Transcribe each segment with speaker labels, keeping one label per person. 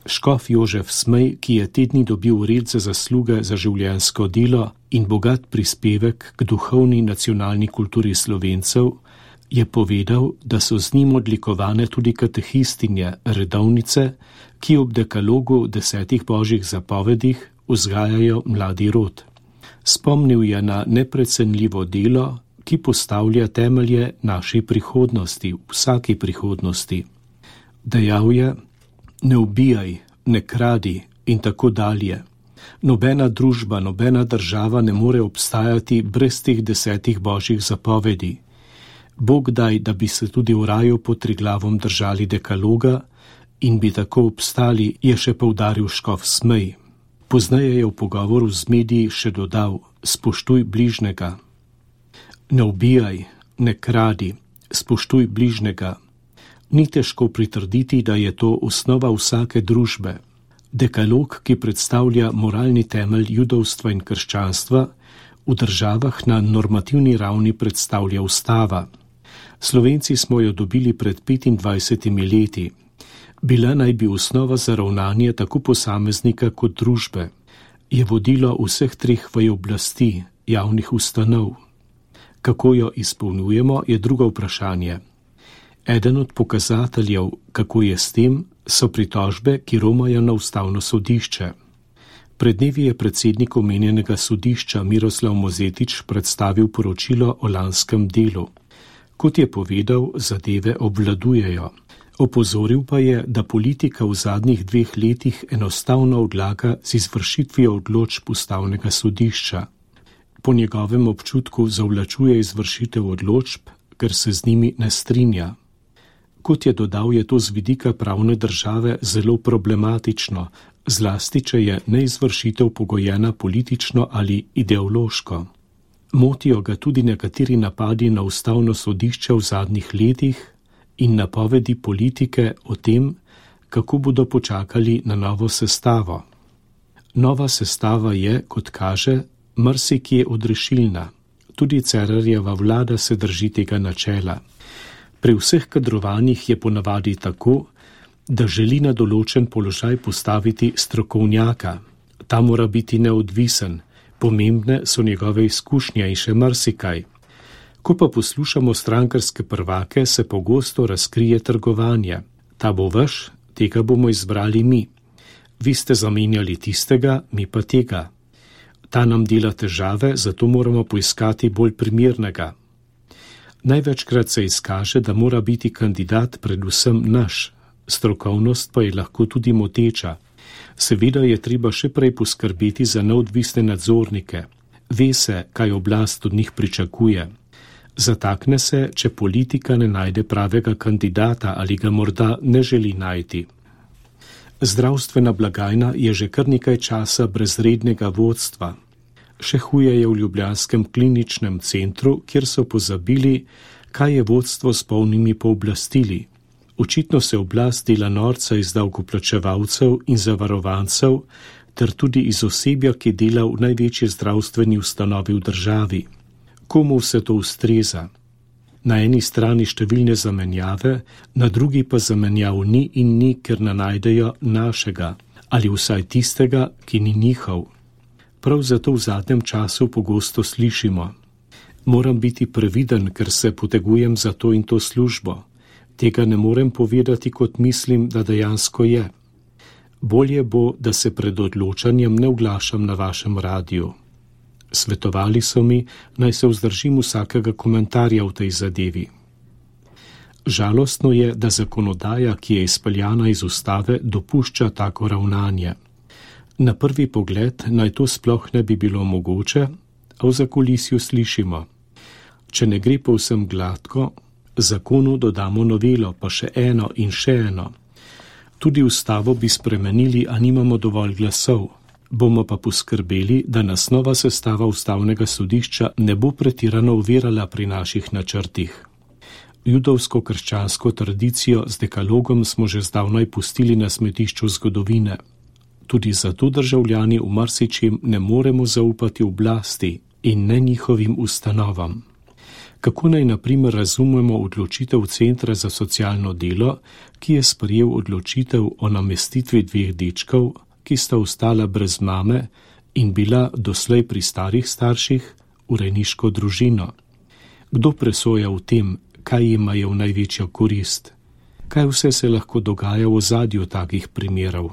Speaker 1: Škof Jožef Smej, ki je te dni dobil red za zasluge za življenjsko delo in bogat prispevek k duhovni nacionalni kulturi Slovencev, je povedal, da so z njim odlikovane tudi katehistinje, redovnice, ki ob dekalogu 10 božjih zapovedih vzgajajo mladi rod. Spomnil je na neprecenljivo delo, ki postavlja temelje naši prihodnosti, vsaki prihodnosti. Dejal je: ne ubijaj, ne kradi in tako dalje. Nobena družba, nobena država ne more obstajati brez teh 10 božjih zapovedi. Bog daj, da bi se tudi v raju pod Triglavom držali dekaloga in bi tako obstali, je še poudaril škof Smej. Pozneje je v pogovoru z mediji še dodal: spoštuj bližnjega. Ne ubijaj, ne kradi, spoštuj bližnjega. Ni težko pritrditi, da je to osnova vsake družbe. Dekalog, ki predstavlja moralni temelj judovstva in krščanstva, v državah na normativni ravni predstavlja ustava. Slovenci smo jo dobili pred 25 leti. Bila naj bi osnova za ravnanje tako posameznika kot družbe. Je vodilo vseh 3 vej oblasti, javnih ustanov. Kako jo izpolnjujemo, je drugo vprašanje. Eden od pokazateljev, kako je s tem, so pritožbe, ki romajo na ustavno sodišče. Pred dnevi je predsednik omenjenega sodišča Miroslav Mozetič predstavil poročilo o lanskem delu. Kot je povedal, zadeve obvladujejo. Opozoril pa je, da politika v zadnjih 2 letih enostavno odlaga z izvršitvijo odločb ustavnega sodišča. Po njegovem občutku zavlačuje izvršitev odločb, ker se z njimi ne strinja. Kot je dodal, je to z vidika pravne države zelo problematično, zlasti če je neizvršitev pogojena politično ali ideološko. Motijo ga tudi nekateri napadi na ustavno sodišče v zadnjih letih in napovedi politike o tem, kako bodo počakali na novo sestavo. Nova sestava je, kot kaže, marsikje odrešilna. Tudi Cerarjeva vlada se drži tega načela. Pri vseh kadrovanjih je ponavadi tako, da želi na določen položaj postaviti strokovnjaka. Ta mora biti neodvisen, pomembne so njegove izkušnje in še marsikaj. Ko pa poslušamo strankarske prvake, se pogosto razkrije trgovanje. Ta bo vaš, tega bomo izbrali mi. Vi ste zamenjali tistega, mi pa tega. Ta nam dela težave, zato moramo poiskati bolj primernega. Največkrat se izkaže, da mora biti kandidat predvsem naš, strokovnost pa je lahko tudi moteča. Seveda je treba še prej poskrbeti za neodvisne nadzornike. Ve se, kaj oblast od njih pričakuje. Zatakne se, če politika ne najde pravega kandidata ali ga morda ne želi najti. Zdravstvena blagajna je že kar nekaj časa brez rednega vodstva. Še huje je v ljubljanskem kliničnem centru, kjer so pozabili, kaj je vodstvo s polnimi pooblastili. Očitno se oblast dela norca iz davkoplačevalcev in zavarovancev, ter tudi iz osebja, ki dela v največji zdravstveni ustanovi v državi. Komu vse to ustreza? Na eni strani številne zamenjave, na drugi pa zamenjav ni in ni, ker ne najdejo našega, ali vsaj tistega, ki ni njihov. Prav zato v zadnjem času pogosto slišimo: moram biti previden, ker se potegujem za to in to službo. Tega ne morem povedati, kot mislim, da dejansko je. Bolje bo, da se pred odločanjem ne oglašam na vašem radiju. Svetovali so mi, naj se vzdržim vsakega komentarja v tej zadevi. Žalostno je, da zakonodaja, ki je izpeljana iz ustave, dopušča tako ravnanje. Na prvi pogled naj to sploh ne bi bilo mogoče, a v zakulisju slišimo: če ne gre povsem gladko, zakonu dodamo novelo, pa še eno in še eno. Tudi ustavo bi spremenili, a nimamo dovolj glasov. Bomo pa poskrbeli, da nas nova sestava ustavnega sodišča ne bo pretirano ovirala pri naših načrtih. Judovsko-krščansko tradicijo z dekalogom smo že zdavnaj pustili na smetišču zgodovine. Tudi zato državljani v marsičem ne moremo zaupati oblasti in ne njihovim ustanovam. Kako naj na primer razumemo odločitev Centra za socialno delo, ki je sprejel odločitev o namestitvi 2 dečkov, ki sta ostala brez mame in bila doslej pri starih starših, v rejniško družino? Kdo presoja v tem, kaj imajo v največjo korist? Kaj vse se lahko dogaja v ozadju takih primerov?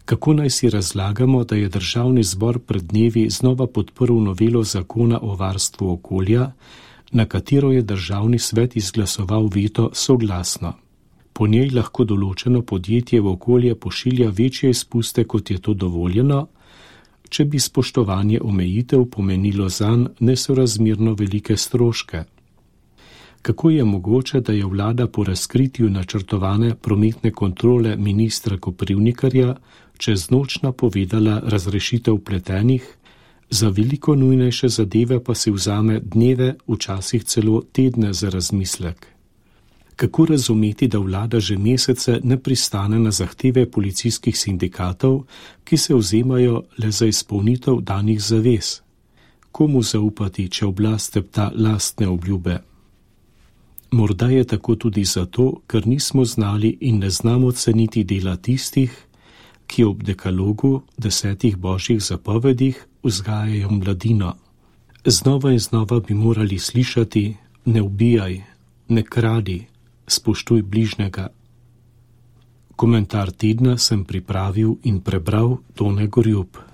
Speaker 1: Kako naj si razlagamo, da je Državni zbor pred dnevi znova podprl novelo zakona o varstvu okolja, na katero je Državni svet izglasoval veto soglasno? Po njej lahko določeno podjetje v okolje pošilja večje izpuste, kot je to dovoljeno, če bi spoštovanje omejitev pomenilo zanj nesorazmerno velike stroške. Kako je mogoče, da je vlada po razkritju načrtovane prometne kontrole ministra Koprivnikarja čez noč napovedala razrešitev vpletenih, za veliko nujnejše zadeve pa si vzame dneve, včasih celo tedne za razmislek? Kako razumeti, da vlada že mesece ne pristane na zahteve policijskih sindikatov, ki se vzemajo le za izpolnitev danih zavez? Komu zaupati, če oblast tepta lastne obljube? Morda je tako tudi zato, ker nismo znali in ne znamo ceniti dela tistih, ki ob dekalogu 10 božjih zapovedih vzgajajo mladino. Znova in znova bi morali slišati: ne ubijaj, ne kradi, spoštuj bližnjega. Komentar tedna sem pripravil in prebral Tone Gorjup.